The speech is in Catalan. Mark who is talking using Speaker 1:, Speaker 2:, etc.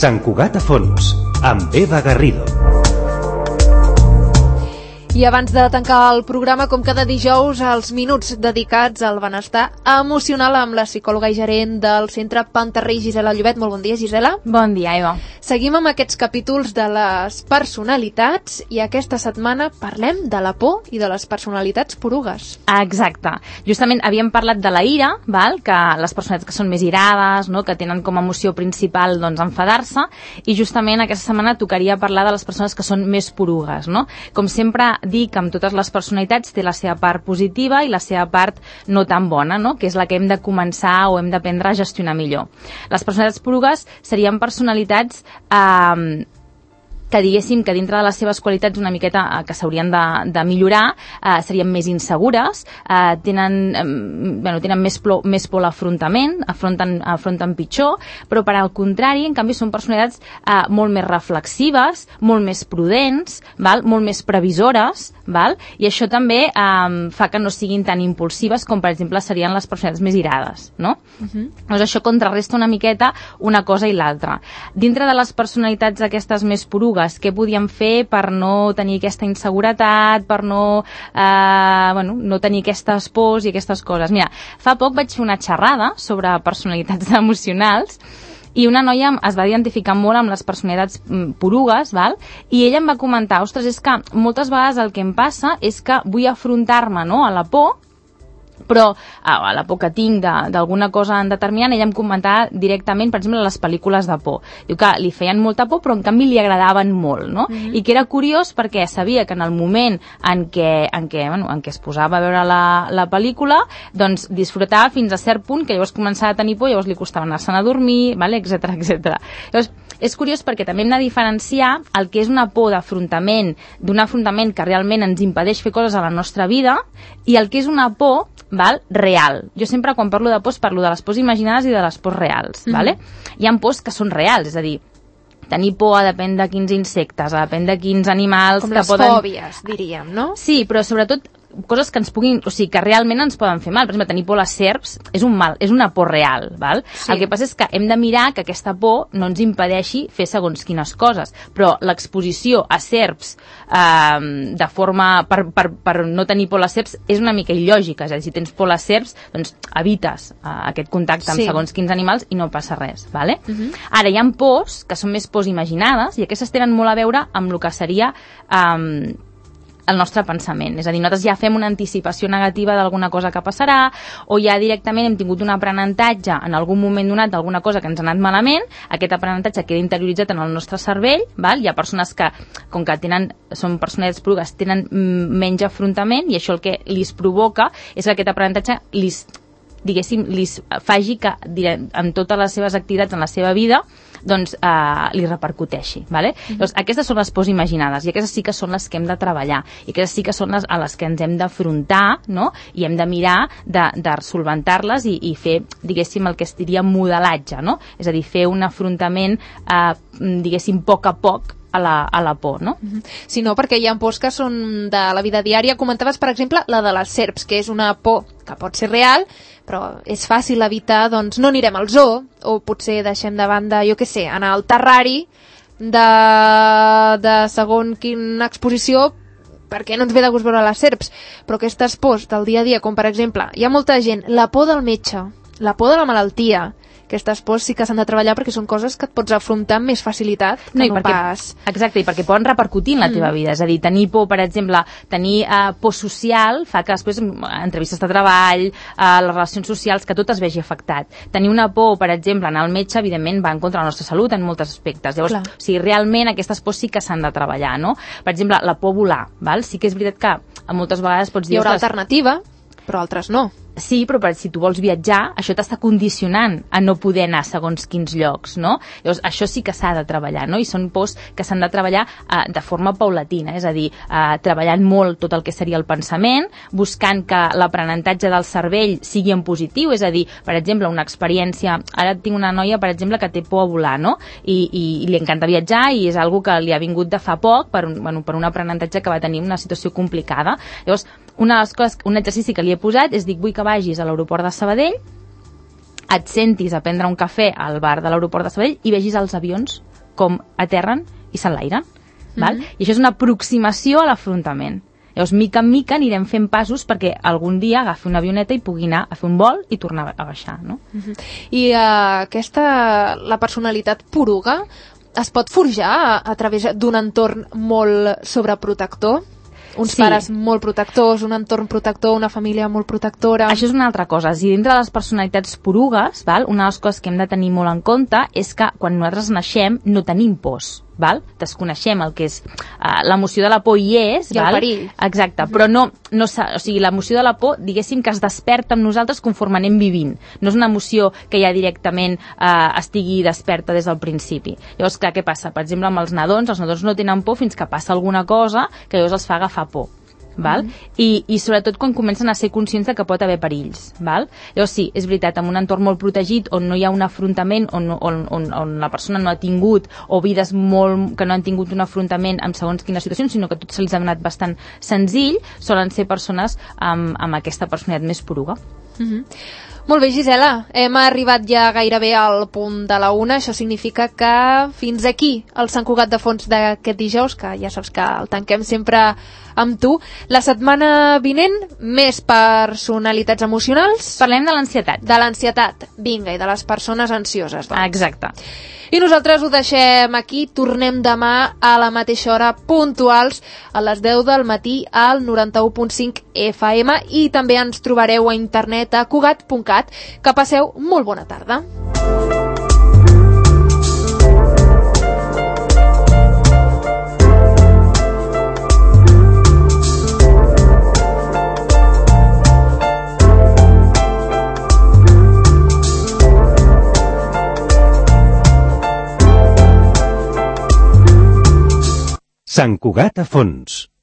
Speaker 1: Sant Cugat a fons, amb Eva Garrido.
Speaker 2: I abans de tancar el programa, com cada dijous, els minuts dedicats al benestar emocional amb la psicòloga i gerent del Centre Pantarrey, Gisela Llobet. Molt bon dia, Gisela.
Speaker 3: Bon dia, Eva.
Speaker 2: Seguim amb aquests capítols de les personalitats i aquesta setmana parlem de la por i de les personalitats porugues.
Speaker 3: Exacte. Justament havíem parlat de la ira, val? Que les personalitats que són més irades, no? Que tenen com a emoció principal doncs, enfadar-se, i justament aquesta setmana tocaria parlar de les persones que són més porugues. No? Com sempre dir que amb totes les personalitats té la seva part positiva i la seva part no tan bona, no? Que és la que hem de començar o hem d'aprendre a gestionar millor. Les personalitats porugues serien personalitats que diguéssim que dintre de les seves qualitats una miqueta que s'haurien de millorar, serien més insegures, tenen més por a l'afrontament, afronten pitjor, però per al contrari, en canvi, són personalitats molt més reflexives, molt més prudents, val? Molt més previsores, val? I això també fa que no siguin tan impulsives com, per exemple, serien les personalitats més irades, no? Doncs això contrarresta una miqueta una cosa i l'altra. Dintre de les personalitats aquestes més porugues, què podíem fer per no tenir aquesta inseguretat, per no tenir aquestes pors i aquestes coses? Mira, fa poc vaig fer una xerrada sobre personalitats emocionals i una noia es va identificar molt amb les personalitats porugues, val? I ella em va comentar, ostres, és que moltes vegades el que em passa és que vull afrontar-me, no?, a la por, però a la por que tinc d'alguna cosa en determinant, ella em comentava directament, per exemple, les pel·lícules de por. Diu que li feien molta por, però en canvi li agradaven molt, no? I que era curiós perquè sabia que en el moment en què es posava a veure la pel·lícula, doncs disfrutava fins a cert punt que llavors començava a tenir por, llavors li costava anar-se'n a dormir, vale? Etcètera, etcètera. Llavors, és curiós perquè també hem de diferenciar el que és una por d'afrontament, d'un afrontament que realment ens impedeix fer coses a la nostra vida, i el que és una por, val? Real. Jo sempre quan parlo de pors parlo de les pors imaginades i de les pors reals, vale? Hi ha pors que són reals, és a dir, tenir por depèn de quins insectes, depèn de quins animals
Speaker 2: com
Speaker 3: que
Speaker 2: les
Speaker 3: poden...
Speaker 2: fòbies, diríem, no?
Speaker 3: Sí, però sobretot coses que ens puguin, o sigui, que realment ens poden fer mal. Per exemple, tenir por a les serps és un mal, és una por real, val? Sí. El que passa és que hem de mirar que aquesta por no ens impedeixi fer segons quines coses, però l'exposició a serps de forma per no tenir por a les serps és una mica il·lògica, és a dir, si tens por a les serps, doncs evites aquest contacte amb segons quins animals i no passa res, vale? Ara, hi ha pors que són més pors imaginades i aquestes tenen molt a veure amb el que seria el nostre pensament, és a dir, nosaltres ja fem una anticipació negativa d'alguna cosa que passarà, o ja directament hem tingut un aprenentatge en algun moment donat d'alguna cosa que ens ha anat malament, aquest aprenentatge queda interioritzat en el nostre cervell, val? Hi ha persones que, com que són personalitats porugues, tenen menys afrontament, i això el que li provoca és que aquest aprenentatge li faci que en totes les seves activitats en la seva vida doncs li repercuteixi, vale? Llavors, aquestes són les pors imaginades i aquestes sí que són les que hem de treballar i aquestes sí que són a les que ens hem d'afrontar, no? I hem de mirar de solventar-les i fer, diguéssim, el que es diria modelatge, no? És a dir, fer un afrontament diguéssim, a poc a la por, no?
Speaker 2: Sí, no, perquè hi ha pors que són de la vida diària. Comentaves, per exemple, la de les serps, que és una por que pot ser real, però és fàcil evitar, doncs no anirem al zoo, o potser deixem de banda, jo què sé, anar al terrari de segon quina exposició, perquè no ens ve de gust veure les serps. Però aquestes pors del dia a dia, com per exemple, hi ha molta gent, la por del metge, la por de la malaltia, aquestes pors sí que s'han de treballar perquè són coses que et pots afrontar amb més facilitat que no pas...
Speaker 3: Exacte, i perquè poden repercutir en la teva vida. És a dir, tenir por, per exemple, tenir por social fa que després entrevistes de treball, les relacions socials, que tot es vegi afectat. Tenir una por, per exemple, anar al metge, evidentment va en contra de la nostra salut en molts aspectes. Llavors, o sigui, realment aquestes pors sí que s'han de treballar, no? Per exemple, la por a volar, val? Sí que és veritat que moltes vegades pots dir...
Speaker 2: Hi haurà alternativa, però altres no.
Speaker 3: Sí, però si tu vols viatjar, això t'està condicionant a no poder anar a segons quins llocs, no? Llavors, això sí que s'ha de treballar, no? I són pors que s'han de treballar de forma paulatina, és a dir, treballant molt tot el que seria el pensament, buscant que l'aprenentatge del cervell sigui en positiu, és a dir, per exemple, una experiència... Ara tinc una noia, per exemple, que té por a volar, no? I li encanta viatjar i és algo que li ha vingut de fa poc per un aprenentatge que va tenir una situació complicada. Llavors, una de les coses, un exercici que li he posat és dir, vull que vagis a l'aeroport de Sabadell, et sentis a prendre un cafè al bar de l'aeroport de Sabadell i vegis els avions com aterren i s'enlairen. Val? I això és una aproximació a l'afrontament. Llavors, mica en mica anirem fent passos perquè algun dia agafi una avioneta i pugui anar a fer un vol i tornar a baixar, no?
Speaker 2: I la personalitat poruga es pot forjar a través d'un entorn molt sobreprotector? Uns pares molt protectors, un entorn protector, una família molt protectora...
Speaker 3: Això és una altra cosa. Si dintre de les personalitats porugues, una de les coses que hem de tenir molt en compte és que quan nosaltres naixem no tenim pors. Desconeixem el que és l'emoció de la por hi és,
Speaker 2: i el perill.
Speaker 3: Exacte, però no o sigui, l'emoció de la por, diguéssim que es desperta amb nosaltres conforme anem vivint, no és una emoció que ja directament estigui desperta des del principi. Llavors, clar, què passa? Per exemple, amb els nadons no tenen por fins que passa alguna cosa que llavors els fa agafar por. I sobretot quan comencen a ser conscients de que pot haver perills. Llavors sí, és veritat, en un entorn molt protegit on no hi ha un afrontament, on la persona no ha tingut, o vides que no han tingut un afrontament amb segons quines situacions, sinó que tot se'ls ha donat bastant senzill, solen ser persones amb aquesta personalitat més poruga.
Speaker 2: Molt bé, Gisela, hem arribat ja gairebé al punt de la 1, això significa que fins aquí el Sant Cugat de Fons d'aquest dijous, que ja saps que el tanquem sempre amb tu. La setmana vinent, més personalitats emocionals.
Speaker 3: Parlem de l'ansietat.
Speaker 2: De l'ansietat, vinga, i de les persones ansioses. Doncs.
Speaker 3: Exacte.
Speaker 2: I nosaltres ho deixem aquí, tornem demà a la mateixa hora, puntuals, a les 10 del matí al 91.5 FM i també ens trobareu a internet a cugat.cat. Que passeu molt bona tarda.
Speaker 1: Sant Cugat a Fons.